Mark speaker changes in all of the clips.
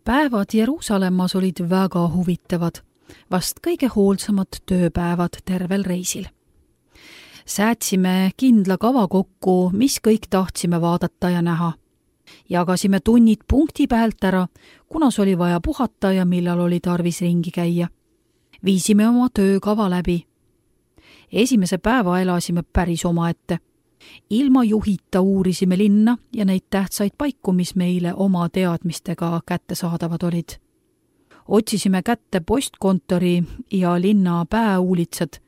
Speaker 1: Päevad Jeruusalemmas olid väga huvitavad, vast kõige hoolsamad tööpäevad tervel reisil. Säätsime kindla kava kokku, mis kõik tahtsime vaadata ja näha. Jagasime tunnid punkti pealt ära, kunas oli vaja puhata ja millal oli tarvis ringi käia. Viisime oma töökava läbi. Esimese päeva elasime päris omaette. Ilma juhita uurisime linna ja neid tähtsaid paiku, mis meile oma teadmistega kättesaadavad olid. Otsisime kätte postkontori ja linna pääuulitsad.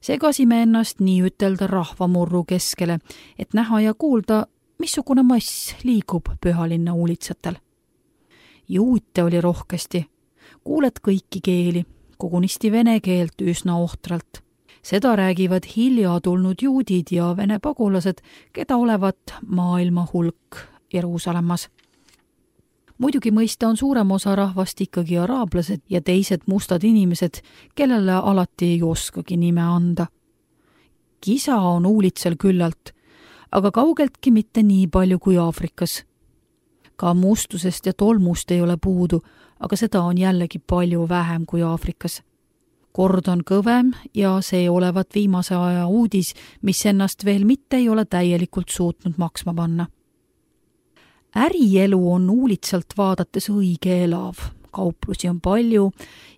Speaker 1: Segasime ennast nii ütelda rahvamurru keskele, et näha ja kuulda, missugune mass liigub pühalinna uulitsatel. Juute oli rohkesti. Kuuled kõiki keeli, kogunisti vene keelt üsna ohtralt. Seda räägivad hilja tulnud juudid ja vene pagulased, keda olevat maailma hulk Jeruusalemmas. Muidugi mõista on suurem osa rahvast ikkagi araablased ja teised mustad inimesed, kellele alati ei oskagi nime anda. Kisa on uulitsal küllalt, aga kaugeltki mitte nii palju kui Aafrikas. Ka mustusest ja tolmust ei ole puudu, aga seda on jällegi palju vähem kui Aafrikas. Kord on kõvem ja see olevat viimase aja uudis, mis ennast veel mitte ei ole täielikult suutnud maksma panna. Ärielu on uulitsalt vaadates õige elav, kauplusi on palju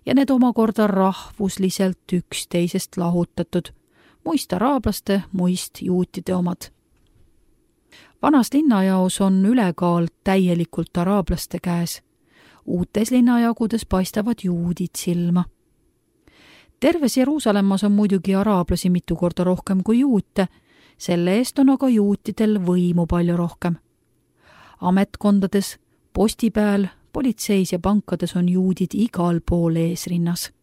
Speaker 1: ja need omakorda rahvusliselt üksteisest lahutatud, muist araablaste, muist juutide omad. Vanas linnajaos on ülekaal täielikult araablaste käes. Uutes linnajagudes paistavad juudid silma. Terves Jeruusalemmas on muidugi araablasi mitu korda rohkem kui juute, selle eest on aga juutidel võimu palju rohkem. Ametkondades, postipäel, politseis ja pankades on juudid igal pool eesrinnas.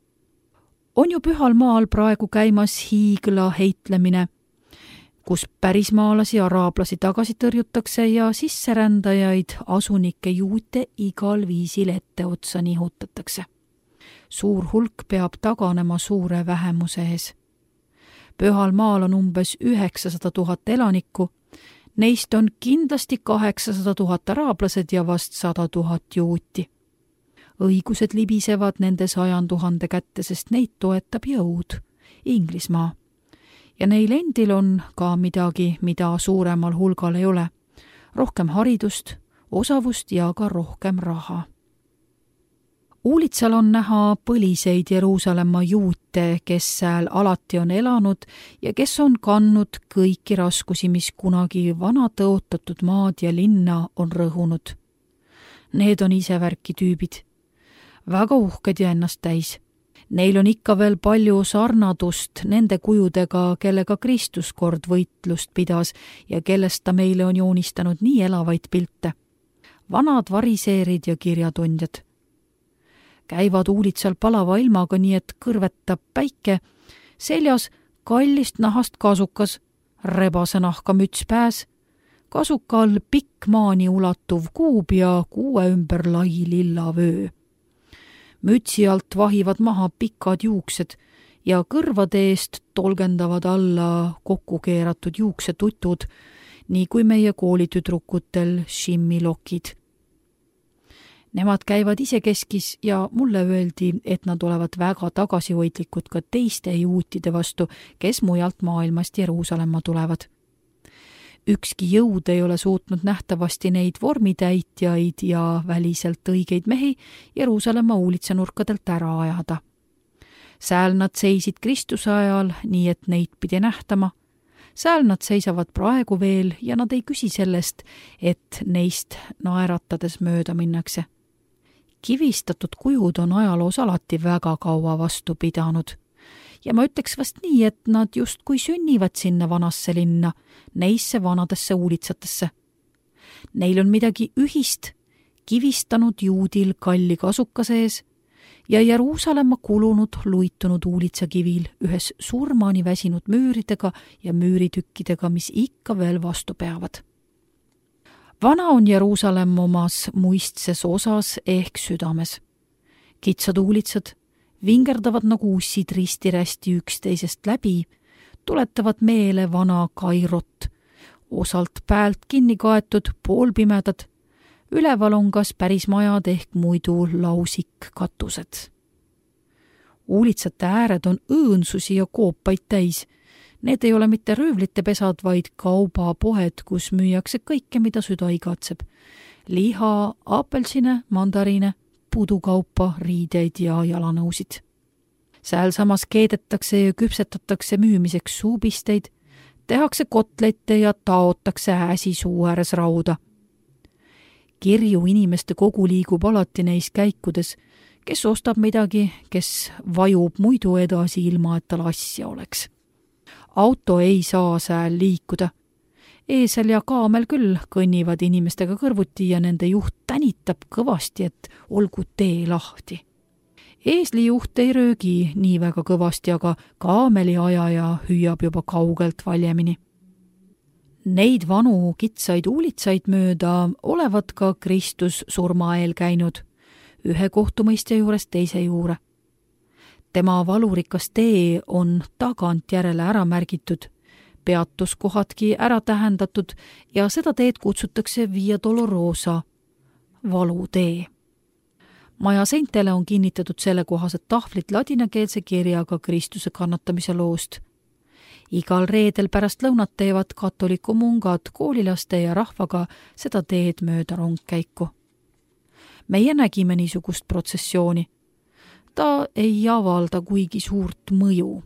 Speaker 1: On ju pühal maal praegu käimas hiigla heitlemine, kus pärismaalasi araablasi tagasi tõrjutakse ja sisserändajaid asunikke juute igal viisil etteotsa nihutatakse. Suur hulk peab taganema suure vähemuse ees. Pühal maal on umbes 900 000 elanikku, neist on kindlasti 800 000 araablased ja vast 100 000 juuti. Õigused libisevad nende 100 000 kätte, sest neid toetab jõud, Inglismaa. Ja neil endil on ka midagi, mida suuremal hulgal ei ole. Rohkem haridust, osavust ja ka rohkem raha. Uulitsal on näha põliseid Jeruusalemma juute, kes sääl alati on elanud ja kes on kandnud kõiki raskusi, mis kunagi vana tõotatud maad ja linna on rõhunud. Need on isevärki tüübid. Väga uhked ja ennast täis. Neil on ikka veel palju sarnadust nende kujudega, kellega Kristus kord võitlust pidas ja kellest ta meile on joonistanud nii elavaid pilte. Vanad variseerid ja kirjatundjad. Käivad uulitsal palava ilmaga nii, et kõrvetab päike, seljas kallist nahast kasukas, rebase nahka müts pääs, kasuka all pikk maani ulatuv kuub ja kuue ümber lai lilla vöö. Mütsi alt vahivad maha pikad juuksed ja kõrvade eest tolgendavad alla kokku keeratud juuksetutud, nii kui meie koolitüdrukutel šimmilokid. Nemad käivad isekeskis ja mulle öeldi, et nad olevat väga tagasihoidlikud ka teiste juutide vastu, kes mujalt maailmast Jeruusalemma tulevad. Ükski jõud ei ole suutnud nähtavasti neid vormitäitjaid ja väliselt õigeid mehi Jeruusalemma uulitsanurkadelt ära ajada. Sääl nad seisid Kristuse ajal, nii et neid pidi nähtama. Sääl nad seisavad praegu veel ja nad ei küsi sellest, et neist naeratades mööda minnakse. Kivistatud kujud on ajaloos alati väga kaua vastu pidanud. Ja ma ütleks vast nii, et nad just kui sünnivad sinna vanasse linna, neisse vanadesse uulitsatesse. Neil on midagi ühist, kivistanud juudil kalli kasuka sees ja Jeruusalemma kulunud luitunud uulitsakivil ühes surmani väsinud müüridega ja müüritükkidega, mis ikka veel vastu peavad. Vana on Jeruusalemm omas muistses osas ehk südames. Kitsad uulitsad vingerdavad nagu ussid risti-rästi üksteisest läbi, tuletavad meele vana Kairot, osalt päält kinni kaetud, poolpimedad, Üleval on kas päris majad ehk muidu lausikkatused. Uulitsate ääred on õõnsusi ja koopaid täis. Need ei ole mitte röövlite pesad, vaid kaubapoed, kus müüakse kõike, mida süda igatseb. Liha, apelsine, mandariine, pudukaupa, riideid ja jalanõusid. Sääl samas keedetakse ja küpsetatakse müümiseks suupisteid, tehakse kotlette ja taotakse äsi suu ääres rauda. Kirju inimeste kogu liigub alati neis käikudes, kes ostab midagi, kes vajub muidu edasi ilma, et tal asja oleks. Auto ei saa sääl liikuda. Eesel ja kaamel küll kõnnivad inimestega kõrvuti ja nende juht tänitab kõvasti, et olgu tee lahti. Eesli juht ei röögi nii väga kõvasti, aga kaameli ajaja hüüab juba kaugelt valjemini. Neid vanu kitsaid uulitsaid mööda olevat ka Kristus surma eel käinud, ühe kohtumõistja juurest teise juure. Tema valurikas tee on tagantjärele ära märgitud, peatuskohadki ära tähendatud ja seda teed kutsutakse Via Dolorosa, valutee. Maja seintele on kinnitatud sellekohased tahvlid ladinakeelse kirjaga Kristuse kannatamise loost. Igal reedel pärast lõunat teevad katoliku mungad koolilaste ja rahvaga seda teed mööda rongkäiku. Meie nägime niisugust protsessiooni. Ta ei avalda kuigi suurt mõju.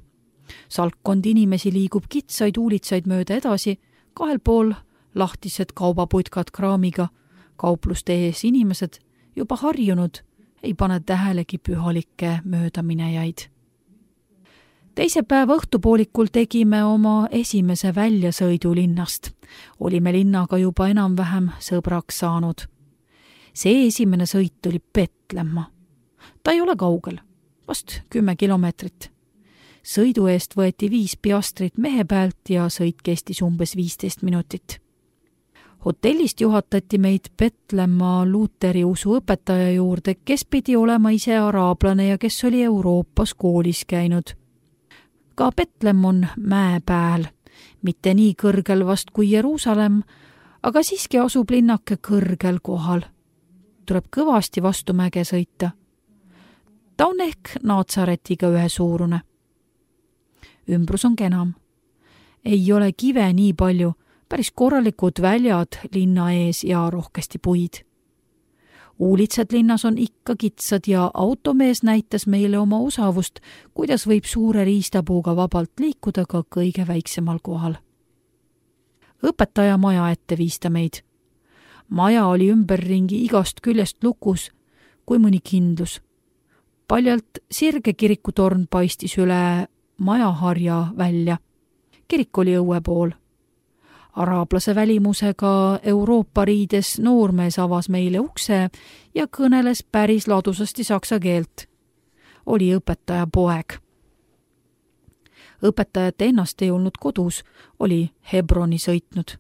Speaker 1: Salkkond inimesi liigub kitsaid uulitsaid mööda edasi, kahel pool lahtised kaubaputkad kraamiga, kaupluste ees inimesed, juba harjunud, ei pane tähelegi pühalikke möödaminejaid. Teise päeva õhtupoolikul tegime oma esimese väljasõidu linnast. Olime linnaga juba enam-vähem sõbraks saanud. See esimene sõit oli Petlemma. Ta ei ole kaugel, vast 10 kilomeetrit. Sõidu eest võeti 5 piastrit mehe pealt ja sõit kestis umbes 15 minutit. Hotellist juhatati meid Petlemma luuteri usuõpetaja juurde, kes pidi olema ise araablane ja kes oli Euroopas koolis käinud. Ka Petlem on mäe pääl, mitte nii kõrgel vast kui Jeruusalemm, aga siiski asub linnake kõrgel kohal. Tuleb kõvasti vastu mäge sõita. Ta on ehk Naatsaretiga ühesuurune. Ümbrus on kenam. Ei ole kive nii palju, päris korralikud väljad linna ees ja rohkesti puid. Uulitsad linnas on ikka kitsad ja automees näitas meile oma osavust, kuidas võib suure riistapuuga vabalt liikuda ka kõige väiksemal kohal. Õpetaja maja ette viis ta meid. Maja oli ümberringi igast küljest lukus, kui mõni kindlus. Paljalt sirge kirikutorn paistis üle majaharja välja. Kirik oli õue pool. Araablase välimusega Euroopa riides noormees avas meile ukse ja kõneles päris ladusasti saksa keelt. Oli õpetaja poeg. Õpetajat ennast ei olnud kodus, oli Hebroni sõitnud.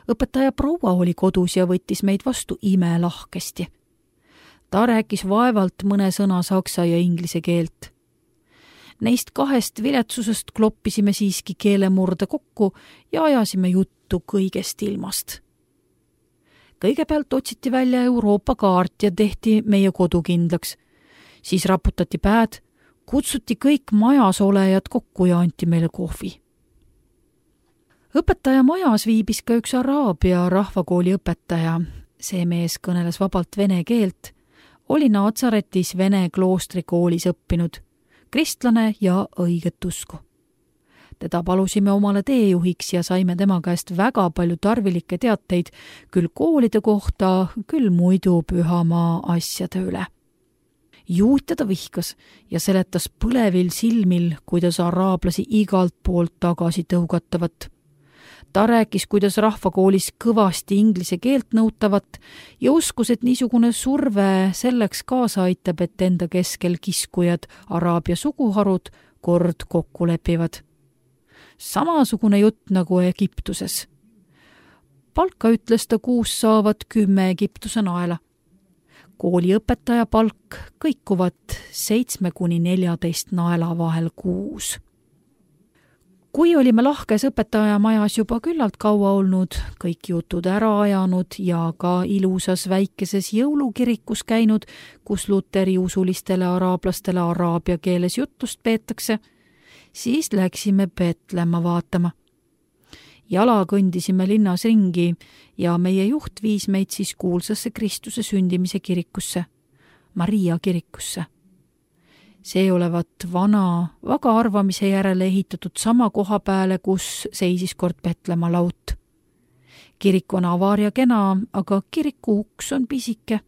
Speaker 1: Õpetaja proua oli kodus ja võttis meid vastu imelahkesti. Ta rääkis vaevalt mõne sõna saksa ja inglise keelt. Neist 2 viletsusest kloppisime siiski keelemurde kokku ja ajasime juttu kõigest ilmast. Kõigepealt otsiti välja Euroopa kaart ja tehti meie kodu kindlaks. Siis raputati päed, kutsuti kõik majas olejad kokku ja anti meile kohvi. Õpetaja majas viibis ka üks araabia rahvakooli õpetaja. See mees kõneles vabalt vene keelt, oli Naatsaretis vene kloostrikoolis õppinud, kristlane ja õiget usku. Teda palusime omale teejuhiks ja saime tema käest väga palju tarvilikke teateid küll koolide kohta, küll muidu pühamaa asjade üle. Juutja ta vihkas ja seletas põlevil silmil, kuidas araablasi igalt poolt tagasi tõugatavat. Ta rääkis, kuidas rahvakoolis kõvasti inglise keelt nõutavat ja uskus, et niisugune surve selleks kaasa aitab, et enda keskel kiskujad araabia suguharud kord kokku lepivad. Samasugune jutt nagu Egiptuses. Palka ütles ta kuus saavat 10 Egiptuse naela. Kooliõpetaja palk kõikuvat 7–14 naela vahel kuus. Kui olime lahkes õpetajamajas juba küllalt kaua olnud, kõik jutud ära ajanud ja ka ilusas väikeses jõulukirikus käinud, kus luteri usulistele araablastele araabia keeles jutlust peetakse, siis läksime Betlema vaatama. Jala kõndisime linnas ringi ja meie juht viis meid siis kuulsasse Kristuse sündimise kirikusse, Maria kirikusse. See olevat vana, vaga arvamise järele ehitatud sama koha peale, kus seisis kord Betlema laut. Kirik on avar ja kena, aga kiriku uks on pisike.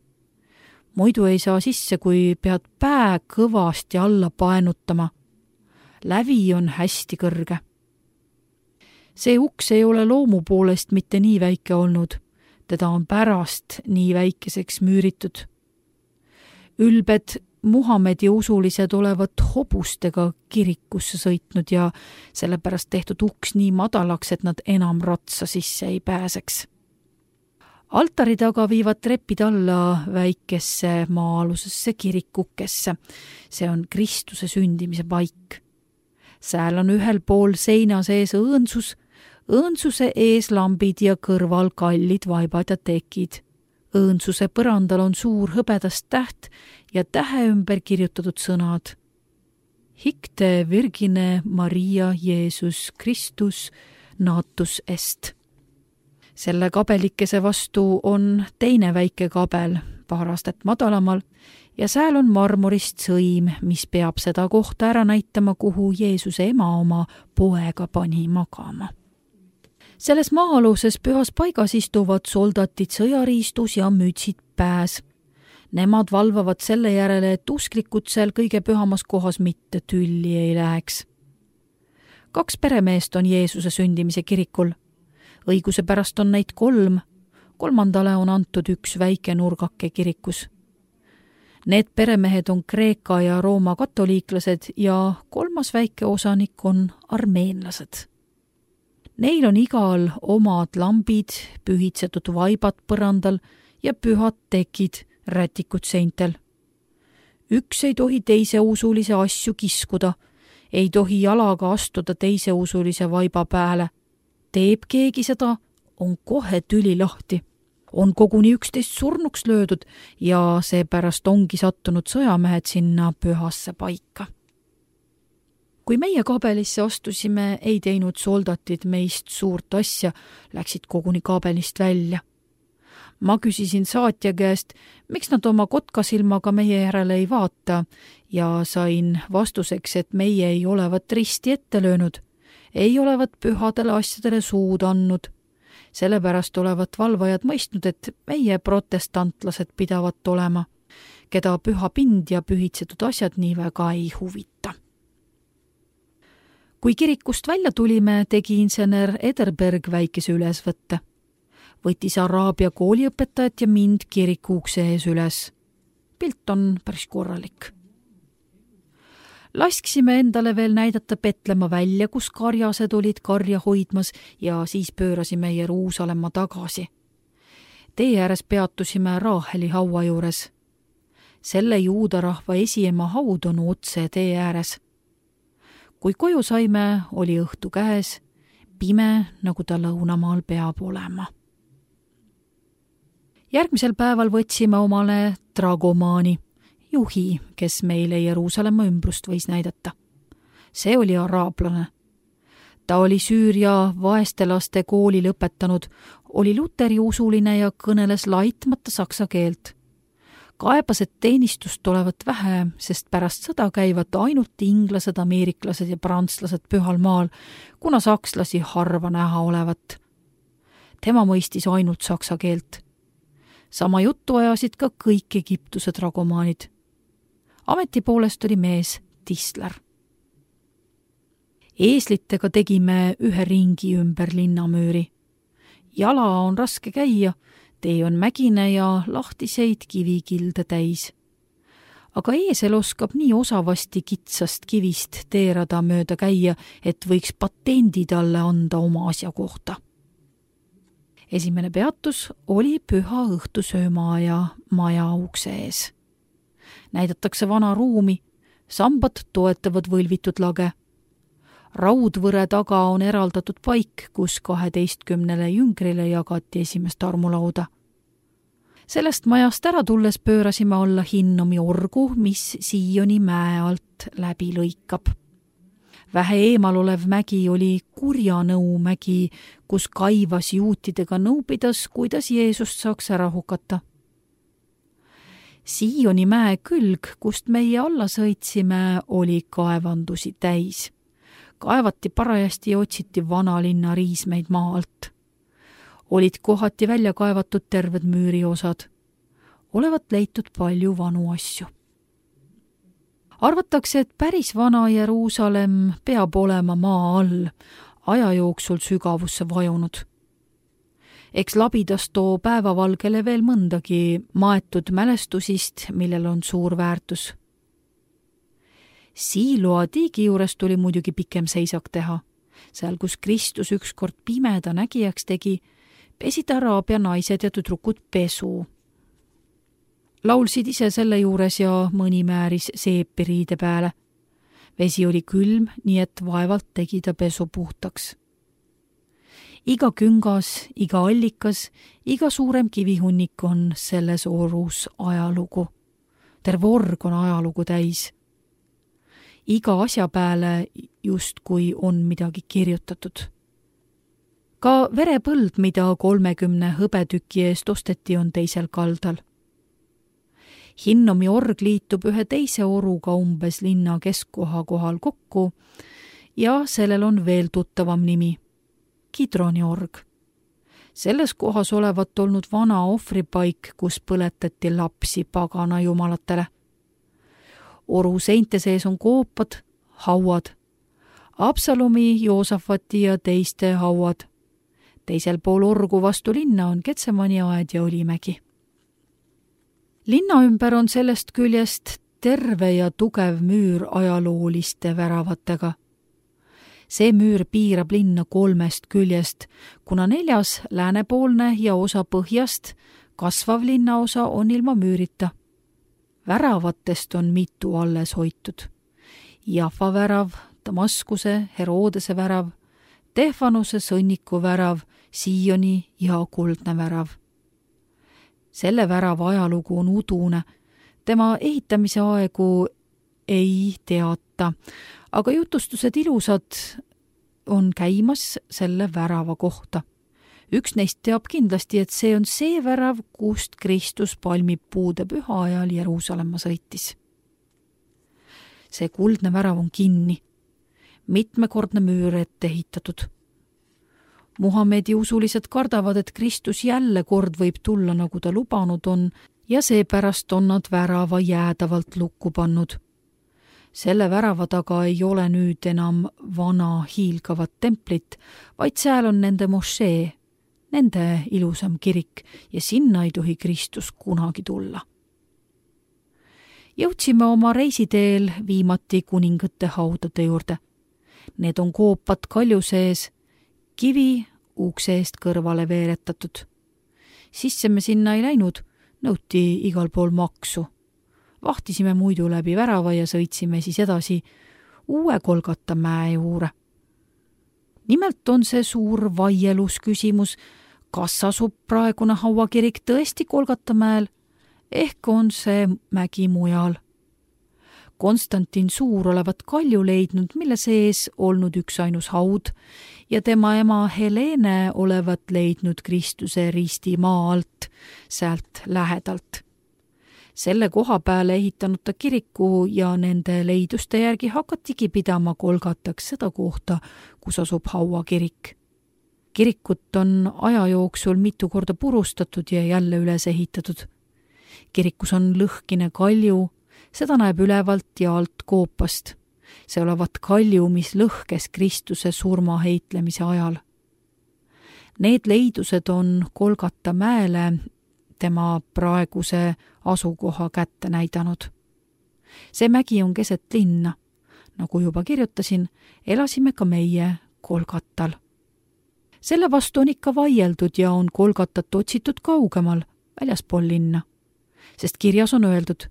Speaker 1: Muidu ei saa sisse, kui pead pää kõvasti alla paenutama. Lävi on hästi kõrge. See uks ei ole loomu poolest mitte nii väike olnud. Teda on pärast nii väikeseks müüritud. Ülbed Muhamedi usulised olevat hobustega kirikusse sõitnud ja sellepärast tehtud uks nii madalaks, et nad enam ratsa sisse ei pääseks. Altari taga viivad trepid alla väikesse maa-alusesse kirikukesse. See on Kristuse sündimise paik. Sääl on ühel pool seina sees õõnsus, õõnsuse ees lambid ja kõrval kallid vaibad ja tekid. Õõnsuse põrandal on suur hõbedast täht ja tähe ümber kirjutatud sõnad. Hicte Virgine Maria Jeesus Christus natus est. Selle kabelikese vastu on teine väike kabel, paar astet madalamal, ja sääl on marmorist sõim, mis peab seda kohta ära näitama, kuhu Jeesuse ema oma poega pani magama. Selles maa-aluses pühas paigas istuvad soldatid sõjariistus ja mütsid pääs. Nemad valvavad selle järele, et usklikud seal kõige pühamas kohas mitte tülli ei läheks. 2 peremeest on Jeesuse sündimise kirikul. Õiguse pärast on neid 3, 3. on antud 1 väike nurgake kirikus. Need peremehed on Kreeka ja Rooma katoliiklased ja 3. väike osanik on armeenlased. Neil on igal omad lambid, pühitsetud vaibad põrandal ja pühad tekid, rätikud seintel. Üks ei tohi teise usulise asju kiskuda, ei tohi jalaga astuda teise usulise vaiba pääle. Teeb keegi seda, on kohe tüli lahti. On koguni 11 surnuks löödud ja seepärast ongi sattunud sõjamehed sinna pühasse paika. Kui meie kabelisse astusime, ei teinud soldatid meist suurt asja, läksid koguni kabelist välja. Ma küsisin saatja käest, miks nad oma kotkasilmaga meie järele ei vaata ja sain vastuseks, et meie ei olevat risti ette löönud, ei olevat pühadele asjadele suud andnud. Sellepärast olevat valvajad mõistnud, et meie protestantlased pidavat olema, keda püha pind ja pühitsetud asjad nii väga ei huvita. Kui kirikust välja tulime, tegi insener Ederberg väikese ülesvõtte. Võttis araabia kooliõpetajat ja mind kiriku ukse ees üles. Pilt on päris korralik. Lasksime endale veel näidata Betlema välja, kus karjased olid karja hoidmas ja siis pöörasime Jeruusalemma tagasi. Tee ääres peatusime Raaheli haua juures. Selle juudarahva esiema haud on otse tee ääres. Kui koju saime, oli õhtu käes, pime, nagu ta lõunamaal peab olema. Järgmisel päeval võtsime omale dragomaani, juhi, kes meile Jeruusalemma ümbrust võis näidata. See oli araablane. Ta oli Süüria vaeste laste kooli lõpetanud, oli luteri usuline ja kõneles laitmata saksa keelt. Kaebas, et teenistust olevat vähe, sest pärast sõda käivad ainult inglased, ameeriklased ja prantslased pühal maal, kuna sakslasi harva näha olevat. Tema mõistis ainult saksa keelt. Sama juttu ajasid ka kõik Egiptuse dragomaanid. Ameti poolest oli mees tisler. Eeslitega tegime 1 ringi ümber linnamüüri. Jala on raske käia, tee on mägine ja lahtiseid kivikilde täis. Aga eesel oskab nii osavasti kitsast kivist teerada mööda käia, et võiks patendi talle anda oma asja kohta. Esimene peatus oli püha õhtusöömaaja maja ukse ees. Näidatakse vana ruumi, sambad toetavad võlvitud lage. Raudvõre taga on eraldatud paik, kus 12 jüngrile jagati esimest armulauda. Sellest majast ära tulles pöörasime alla Hinnomi orgu, mis Sioni mäe alt läbi lõikab. Vähe eemal olev mägi oli Kurjanõu mägi, kus Kaivas juutidega nõu pidas, kuidas Jeesust saaks ära hukata. Sioni mäe külg, kust meie alla sõitsime, oli kaevandusi täis. Kaevati parajasti ja otsiti vanalinna riismeid maa alt. Olid kohati välja kaevatud terved müüriosad. Olevat leitud palju vanu asju. Arvatakse, et päris vana Jeruusalemm peab olema maa all, aja jooksul sügavusse vajunud. Eks labidas too päevavalgele veel mõndagi maetud mälestusist, millel on suur väärtus. Siiloa tiigi juures tuli muidugi pikem seisak teha. Seal, kus Kristus ükskord pimeda nägijaks tegi, pesid araabia naised ja tüdrukud pesu. Laulsid ise selle juures ja mõni määris seepi riide peale. Vesi oli külm, nii et vaevalt tegi ta pesu puhtaks. Iga küngas, iga allikas, iga suurem kivihunnik on selles orus ajalugu. Terve org on ajalugu täis. Iga asja peale justkui on midagi kirjutatud. Ka verepõld, mida 30 hõbetüki eest osteti, on teisel kaldal. Hinnomi org liitub ühe teise oruga umbes linna keskkoha kohal kokku ja sellel on veel tuttavam nimi, Kidroni org. Selles kohas olevat olnud vana ohvripaik, kus põletati lapsi pagana jumalatele. Oru seinte sees on koopad, hauad, Absalomi, Joosafati ja teiste hauad. Teisel pool orgu vastu linna on Getsemani aed ja Õlimägi. Linna ümber on sellest küljest terve ja tugev müür ajalooliste väravatega. See müür piirab linna 3 küljest, kuna 4. läänepoolne ja osa põhjast kasvav linnaosa on ilma müürita. Väravatest on mitu alles hoitud. Jaffa värav, Damaskuse, Herodese värav, Tehvanuse sõnniku värav, Sioni ja kuldne värav. Selle värava ajalugu on udune. Tema ehitamise aegu ei teata, aga jutustused ilusad on käimas selle värava kohta. Üks neist teab kindlasti, et see on see värav, kust Kristus palmipuude püha ajal Jeruusalemma sõitis. See kuldne värav on kinni. Mitmekordne müür ette ehitatud. Muhamedi usulised kardavad, et Kristus jälle kord võib tulla, nagu ta lubanud on, ja seepärast on nad värava jäädavalt lukku pannud. Selle värava taga ei ole nüüd enam vana hiilgavat templit, vaid seal on nende mošee, nende ilusam kirik ja sinna ei tohi Kristus kunagi tulla. Jõudsime oma reisiteel viimati kuningate haudade juurde. Need on koopad kalju sees, kivi ukse eest kõrvale veeretatud. Sisse me sinna ei läinud, nõuti igal pool maksu. Vahtisime muidu läbi värava ja sõitsime siis edasi uue Golgata mäe juurde. Nimelt on see suur vaielus küsimus, kas asub praegune hauakirik tõesti Golgata mäel, ehk on see mägi mujal. Konstantin Suur olevat kalju leidnud, mille sees olnud üksainus haud ja tema ema Helene olevat leidnud Kristuse risti maa alt, sealt lähedalt. Selle koha peale ehitanud ta kiriku ja nende leiduste järgi hakatigi pidama Golgataks seda kohta, kus asub hauakirik. Kirikut on aja jooksul mitu korda purustatud ja jälle üles ehitatud. Kirikus on lõhkine kalju, seda näeb ülevalt ja alt koopast. See olevat kalju, mis lõhkes Kristuse surma heitlemise ajal. Need leidused on Golgata mäele tema praeguse asukoha kätte näidanud. See mägi on keset linna. Nagu juba kirjutasin, elasime ka meie Golgatal. Selle vastu on ikka vaieldud ja on Golgatat otsitud kaugemal, väljaspool linna. Sest kirjas on öeldud: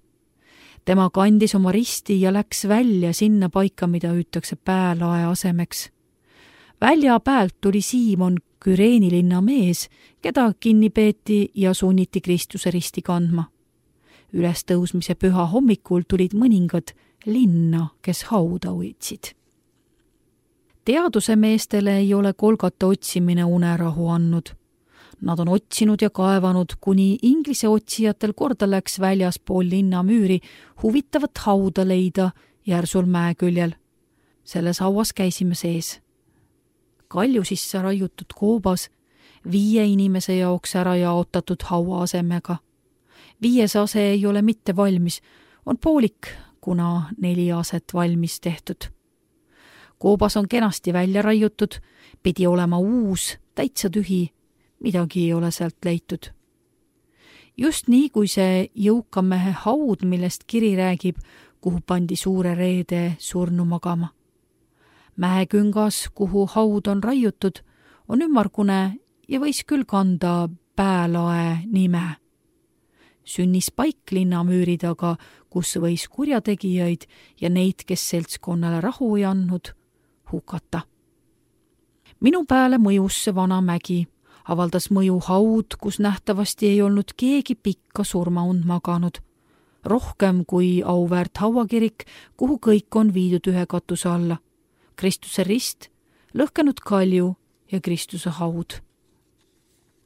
Speaker 1: Tema kandis oma risti ja läks välja sinna paika, mida hüütakse Päälae asemeks. Välja päält tuli Siimon, Küreeni linna mees, keda kinni peeti ja sunniti Kristuse risti kandma. Ülestõusmise püha hommikul tulid mõningad linna, kes hauda hoidsid. Teaduse meestele ei ole Golgata otsimine unerahu andnud. Nad on otsinud ja kaevanud, kuni Inglise otsijatel korda läks väljaspool linna müüri huvitavat hauda leida järsul mäeküljel. Selles hauas käisime sees. Kalju sisse raiutud koobas, 5 inimese jaoks ära jaotatud haua asemega. 5. ase ei ole mitte valmis, on poolik, kuna 4 aset valmis tehtud. Koobas on kenasti välja raiutud, pidi olema uus, täitsa tühi, midagi ei ole sealt leitud. Just nii, kui see jõuka mehe haud, millest kiri räägib, kuhu pandi suure reede surnu magama. Mäeküngas, kuhu haud on raiutud, on ümmargune ja võis küll kanda Päälae nime. Sünnispaik linnamüüri taga, kus võis kurjategijaid ja neid, kes seltskonnale rahu ei andnud, hukata. Minu pääle mõjus see vana mägi, avaldas mõju haud, kus nähtavasti ei olnud keegi pikka surmaund maganud. Rohkem kui auväärt hauakirik, kuhu kõik on viidud ühe katuse alla. Kristuse rist, lõhkenud kalju ja Kristuse haud.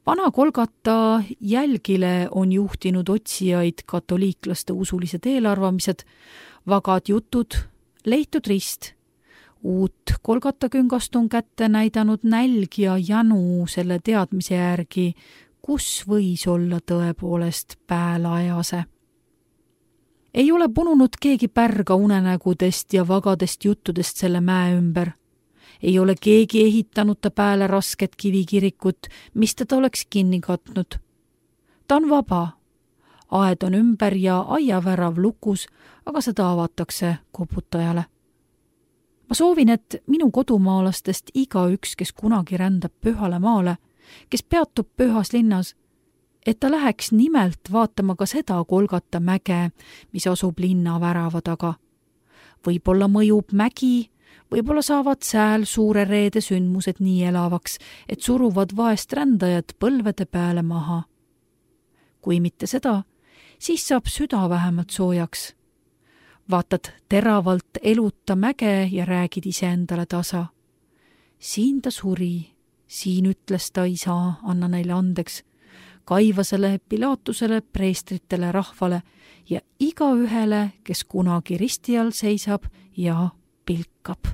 Speaker 1: Vana Golgata jälgile on juhtinud otsijaid katoliiklaste usulised eelarvamised, vagad jutud, leitud rist. Uut Golgata küngast on kätte näidanud nälg ja janu selle teadmise järgi, kus võis olla tõepoolest Päälae ase. Ei ole pununud keegi pärga unenägudest ja vagadest juttudest selle mäe ümber. Ei ole keegi ehitanud ta pääle rasket kivikirikut, mis teda oleks kinni katnud. Ta on vaba. Aed on ümber ja aiavärav lukus, aga seda avatakse koputajale. Ma soovin, et minu kodumaalastest igaüks, kes kunagi rändab pühale maale, kes peatub pühas linnas, et ta läheks nimelt vaatama ka seda Golgata mäge, mis asub linna värava taga. Võib-olla mõjub mägi, võib-olla saavad sääl suure reede sündmused nii elavaks, et suruvad vaest rändajad põlvede peale maha. Kui mitte seda, siis saab süda vähemalt soojaks. Vaatad teravalt eluta mäge ja räägid iseendale tasa. Siin ta suri, siin ütles ta isa, anna neile andeks, Kaivasele, Pilatusele, preestritele, rahvale ja igaühele, kes kunagi risti all seisab ja pilkab.